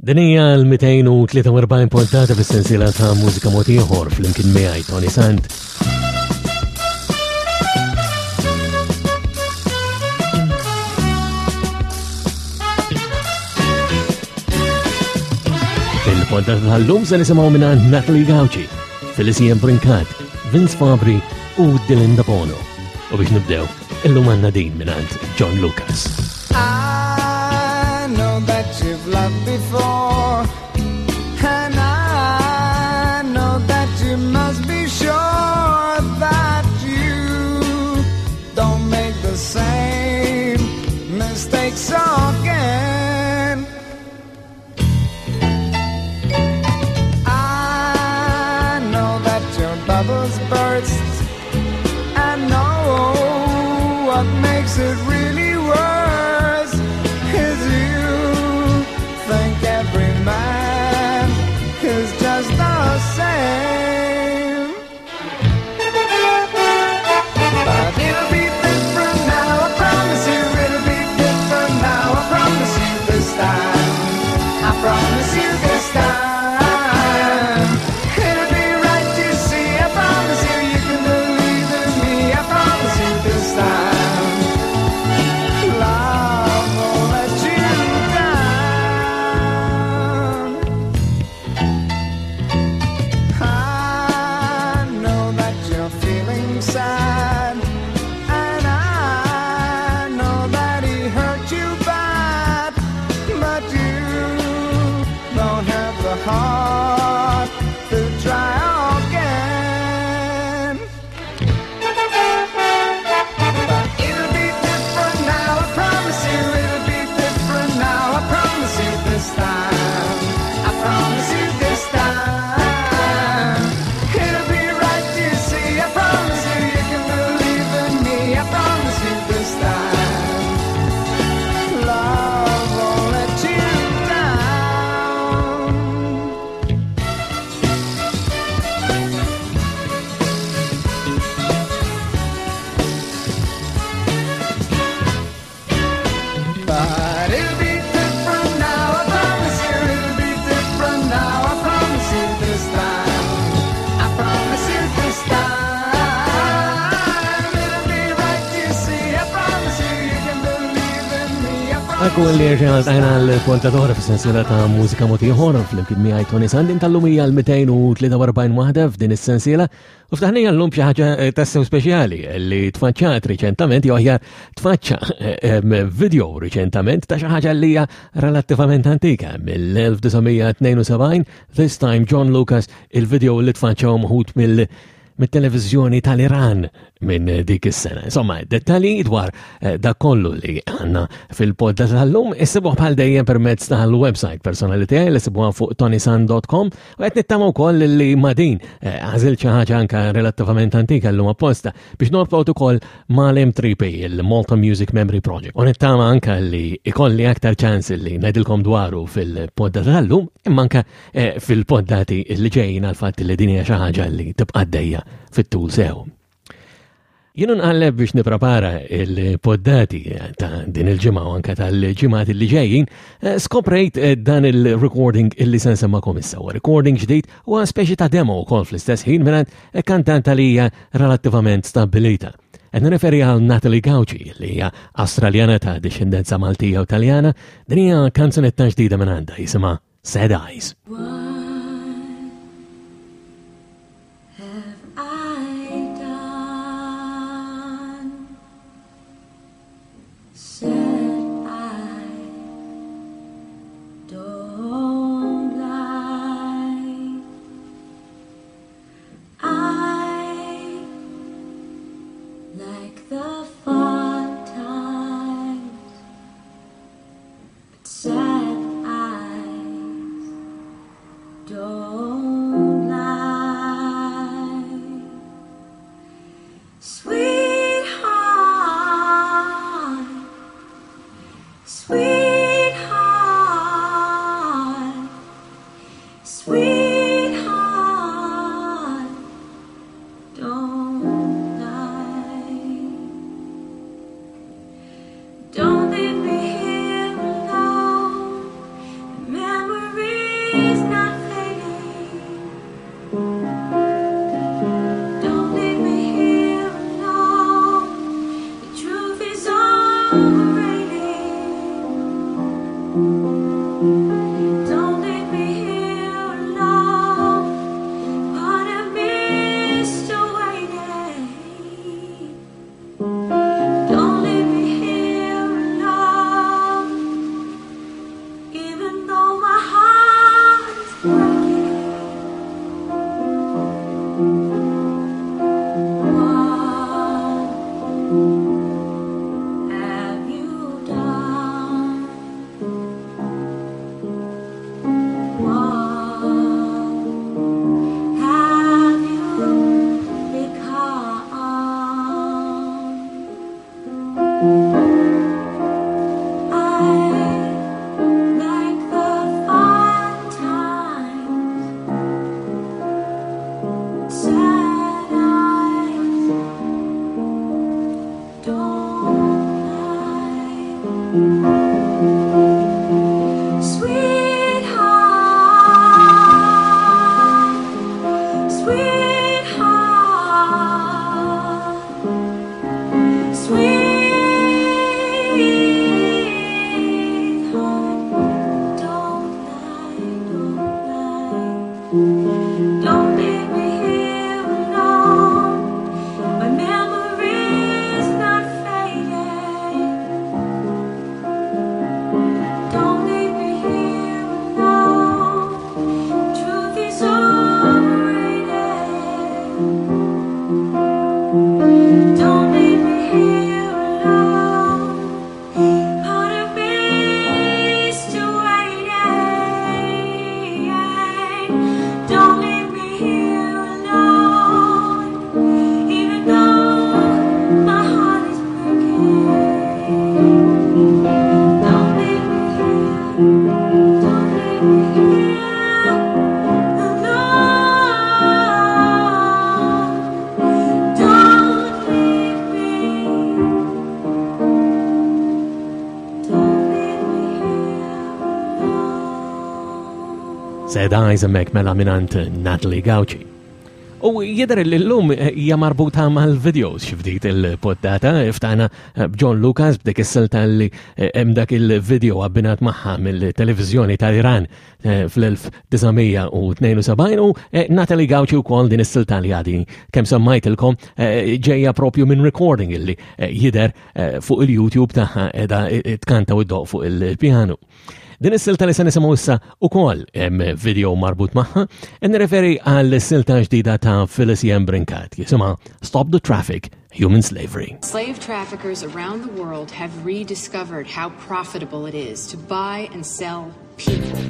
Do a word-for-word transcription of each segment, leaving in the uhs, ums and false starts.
Din hija l-mitejn u tlieta u erbgħin pontata fis-sensiela ta' mużika mod ieħor flimkien miegħi Toni Sant. Fil-pontata tal-lum se nisimgħu mingħand Natalie Gauci, Felicia Brincat, Vince Fabri u Dylan Debono. U biex nibdew, illum għandna din mingħand John Lucas. I know that you've loved before, and I know that you must be sure that you don't make the same mistakes again. I know that your bubbles burst, I know what makes it really worse is you think every man is just the same. But it'll be different now, I promise you. It'll be different now, I promise you this time. I promise you this time. It'll be right, you see, I promise you. You can believe in me, I promise you this time. Love won't let you down. I know that you're feeling sad, and I know that he hurt you bad, but you don't have the heart to try again. But it'll be different now, I promise you. It'll be different now, I promise you this time. I promise you this time. It'll be right, you see, I promise you. You can believe in me, I promise you this time. Love won't let you down. But it'll be different now, I promise you. It'll be different now, I promise you this time. I promise you this time. It'll be right, you see, I promise you. You can believe in me, I promise Ekku li rġajna tajna l-pontatora fis-sensiela ta' mużika mod ieħor flimkien miegħi Toni Sant tal-lum hija l-mitejn u tlieta u erbgħin waħda f'din is-sensiela u ftaħnija llum xi ħaġa, eh, tassew speċjali li tfaċċat riċentament, jew aħjar tfaċċa, eh, em, video riċentament ta' xi ħaġa li hija relattivament antika mill-elf disa' mija tnejn u sebgħin, this time John Lucas, il-video li tfaċċa mħut mill- mit-televizjoni tal-Iran minn dik is-sena. Insomma, dettalji dwar, eh, dak kollu li għandna fil-podda tal-lum issibuh bħal dejjem permezz tal-website personali tiegħi li sibuha fuq tonisan dot com u qed nittama wkoll li ma' din, eh, għażilt xi ħaġa anke relattivament antika llum apposta biex norbot ukoll mal-M three P, il-Malta Music Memory Project. U nittama anke li ikolli aktar ċans li ngħidilkom dwaru fil-podda tal-lum imma anke, eh, fil-poddati li ġejjin għal fatt li din hija xi ħaġa li tibqa' għaddejja fit-tul sew. Jien nqalleb biex nipprepara il-poddati ta' din il-ġimgħa u anke tal-ġimgħat li ġejjin, eh, skoprejt, eh, dan il-recording illi se nsemmakom issa. Huwa recording ġdid u speċi ta' demo wkoll fl-istess ħin mingħand kantanta li hija relattivament stabbilita. Qed nirreferi għal Natalie Gauci li hija Awstraljana ta' dixxendenza Maltija u Taljana. Din hija kanzunetta ġdida minn għandha jisimha Sad Eyes. Sad eyes Sad Eyes hemmhekk mela mingħand Natalie Gauci. U jidher li llum hija marbuta mal-videos xi ftit il-poddata, ftaħna b'John Lucas b'dik is-silta li hemm dak il-video abbinat magħha mill-televiżjoni tal-Iran fl-elf disa' mija u tnejn u sebgħin u Natalie Gauci wkoll din is-silta li għadi kemm semmajtilkom ġejja propju minn recording illi jidher fuq il-YouTube tagħha qiegħda tkanta u ddoq fuq il-pjanu. Din is-silta li se nisimgħu issa ukoll hemm video marbut magħha, e nirreferi għal silta ġdida ta' Phyllis Yen Brincat, jisimha Stop the Traffic, Human Slavery. Slave traffickers around the world have rediscovered how profitable it is to buy and sell people.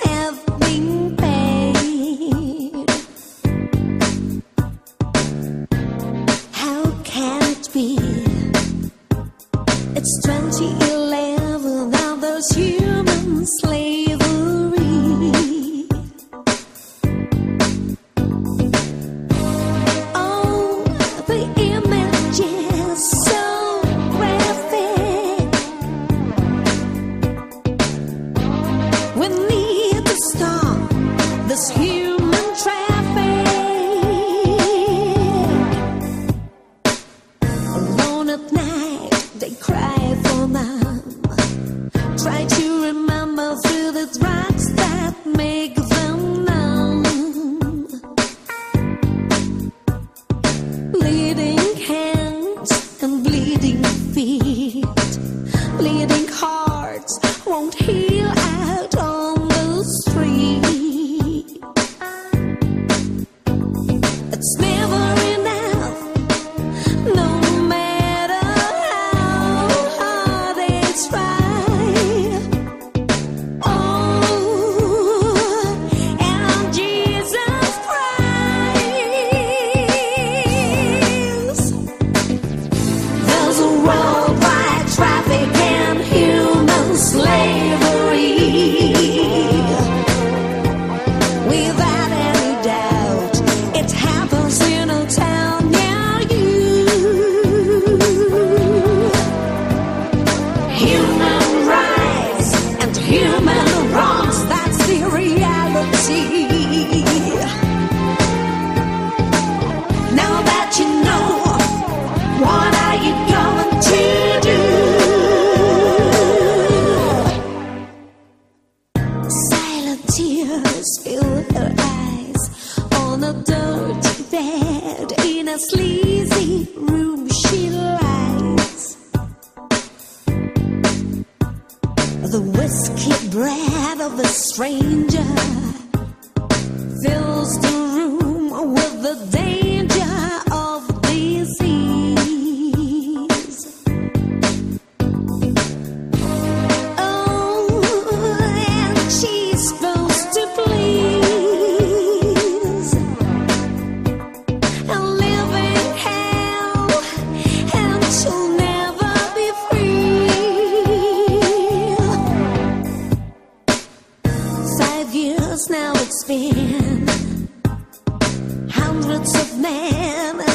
Have been paid.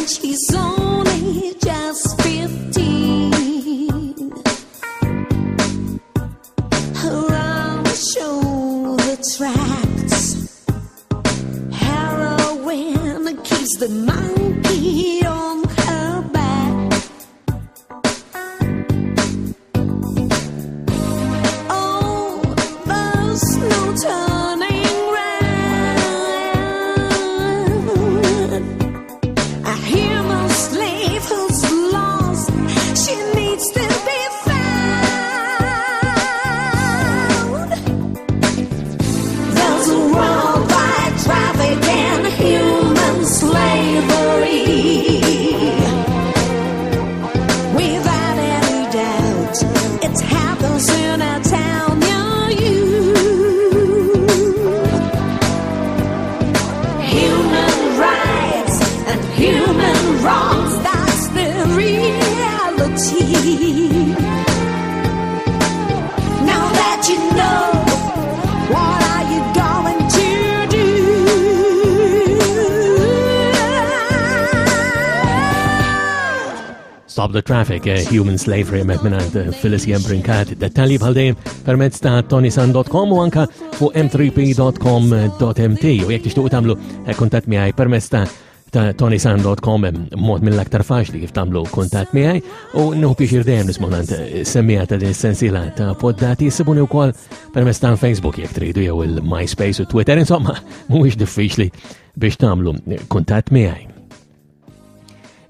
And she's only just fifteen. Her arms show the tracks. Heroin keeps the monkey on her back. Oh, there's no turning round. A human slave who's lost, she needs to be found. There's a worldwide traffic in human slavery. Without any doubt, it happens in a town near you. Human rights and human wrongs, that's the reality. Now that you know, what are you going to do? Stop the Traffic, eh, Human Slavery, mek minant eh, Phyllis Jembrinkat. Dettalji bħal dejjem permezz ta' tonisan dot com u anka fuq m three p dot com dot m t. U jekk tixtuqu tagħmlu, eh, kuntatt miegħi permezz ta' ta' tonisan dot com, hemm mod mill-aktar faċli kif tagħmlu kuntatt miegħi, u nieħu pjaċir dejjem nisma' mingħand, eh, semmija ta' din is-sensiela ta' poddati. Issibuni wkoll permezz ta' Facebook jekk tridu, jew il-MySpace u Twitter. Insomma, mhuwiex diffiċli biex tagħmlu kuntatt miegħi.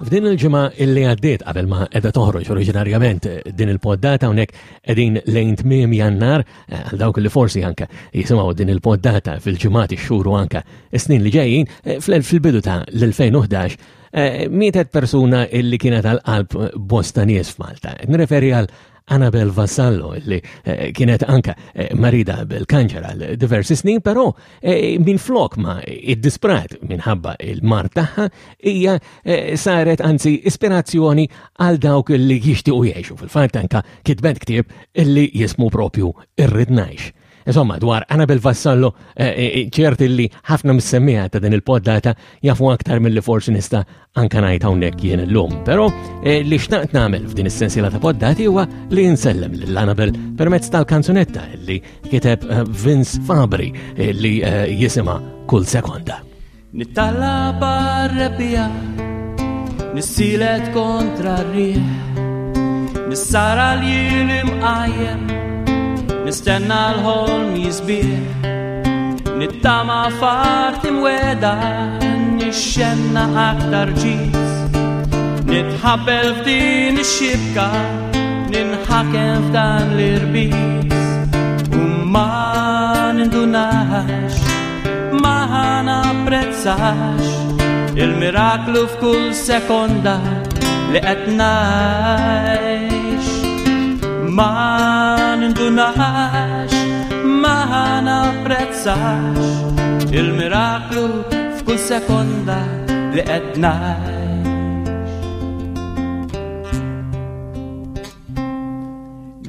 F'din il-ġimgħa illi għaddiet qabel ma qiegħda toħroġ oriġinarjament din il-poddata, hawnhekk qegħdin lejn tmiem Jannar, eh, għal dawk li forsi anke jisimgħu din il-poddata fil-ġimgħat, ix-xhur u anke s-snin li ġejjin, eh, fl-, fil-bidu ta' l-elfejn u ħdax, eh, mietet persuna illi kienet għal qalb bosta nies f'Malta. Nirreferi għal Annabel Vassallo, illi, eh, kienet anka, eh, marida bil-kanċer għal diversi snin, però, eh, minn flok ma iddisprat minħabba il-mard tagħha, hija, eh, saret anzi ispirazzjoni għal dawk li jixtiequ jgħixu. Fil-fatt anka kitbet ktieb illi jismu propju Irrid Ngħix. Insomma, dwar Annabel Vassallo, eh, eh, ċert illi ħafna mis-semmiegħa ta' din il-poddata jafu aktar milli forsi nista' anka ngħid hawnhekk jien illum. Però, eh, li xtaqt nagħmel f'din is-sensiela ta' poddati huwa li nsellem lil Annabel permezz tal-kanzunetta li kiteb, eh, Vince Fabri, eh, li, eh, jisimha Kull Sekonda. Nittalla barrebija, nissilet kontra r-riħ, nissara l-jien imqajjem, nistenna l-ħolm jisbieħ, nittama fart imweda, nixxenna aktar ġis, nitħabbel f'din ix-xibka, ninħakem f'dan l-irbis, u ma nindunax, ma napprezzax il-miraklu f'kull sekonda li qed ngħix. Ma nindunax, ma napprezzax il-miraklu f'kull sekonda li qed ngħix.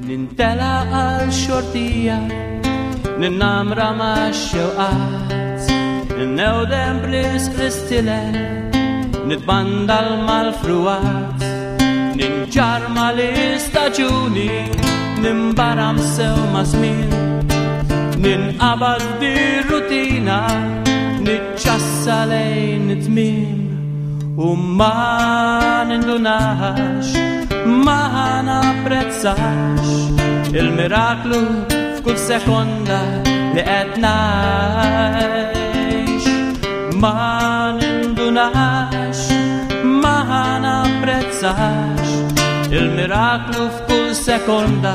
Nintela għal xortija, ninnamra ma' xewqat, ninnewdem b'risq l-istilel, nitbandal mal-fruwat, ninġar mal-istaġuni, nimbaram sew ma' żmien, ninqabad dir-rutina, niċċassa lejn it-tmiem, u ma nindunax, ma napprezzax il-miraklu f'kull sekonda li qed ngħix. Ma nindunax, ma napprezzax il-miraklu f'kull sekonda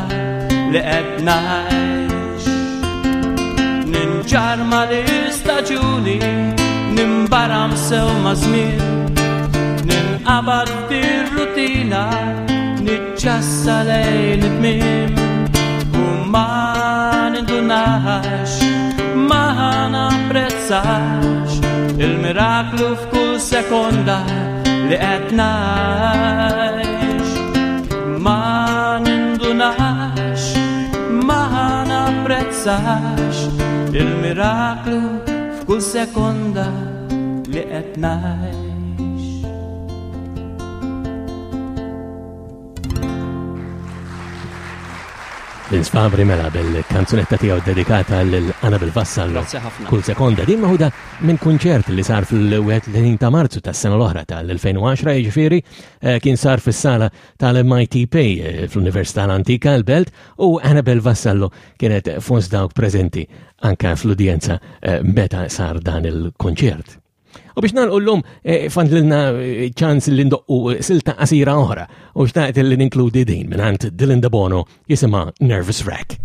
li qed ngħix. Ninġar mal-istaġuni, nimbaram sew ma' żmien, ninqabad fir-rutina, niċċassa lejn it-tmiem, u ma nindunax, ma napprezzax il-miraklu f'kull sekonda li qed ngħix. Ma nindunax, ma napprezzax il-miraklu f'kull sekonda li qed ngħix. Vince Fabri mela bil-kanzunetta tiegħu dedikata lil Annabel Vassallo. Grazzi ħafna. Kull sekonda din maħuda minn kunċert li sar fil-wieħed u tletin ta' Marzu tas-sena l-oħra tal-elfejn u għaxra, jiġifieri, eh, kien sar fis-sala tal-M I T P, eh, fl-Università l-Antika l-Belt, u Annabel Vassallo kienet fost dawk preżenti anka fl-udjenza, eh, meta sar dan il-konċert. U biex nagħlqu llum, eh, fandlilna, eh, ċans li ndoqqu, eh, silta qasira oħra u xtaqt li ninkludi din mingħand Dylan Debono jisimha Nervous Wreck.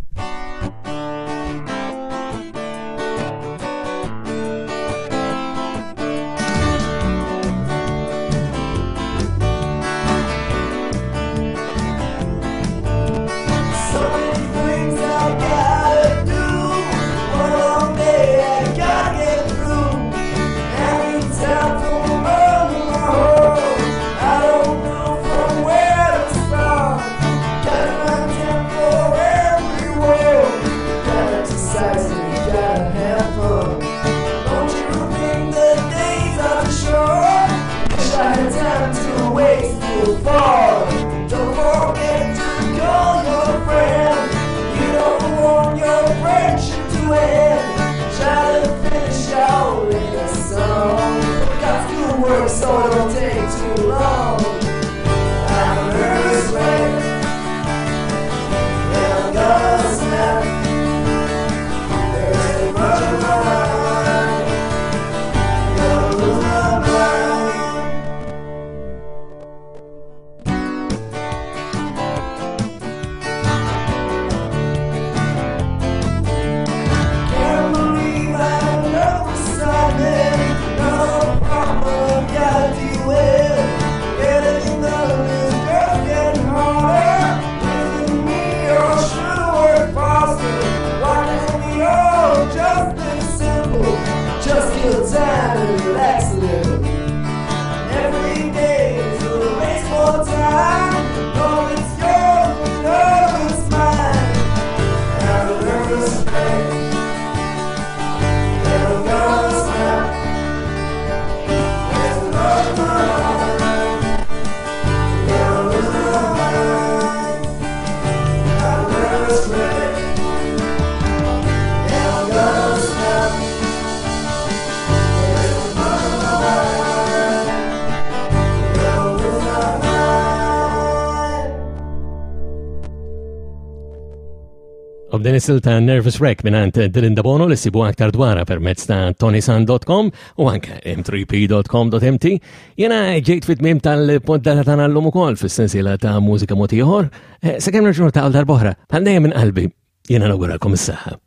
Din is-silta Nervous Wreck mingħand Dylan Debono li ssibu aktar dwarha permezz ta' tony sant dot com u anke m three p dot com dot m t. Jena ġejt fit-tmiem tal-poddata tagħna llum ukoll fis-sensiela ta' mużika mod ieħor. Eh, sakemm nerġgħu ta' darb'oħra, bħal dejjem minn qalbi, jiena nawguralkom is-saħħa.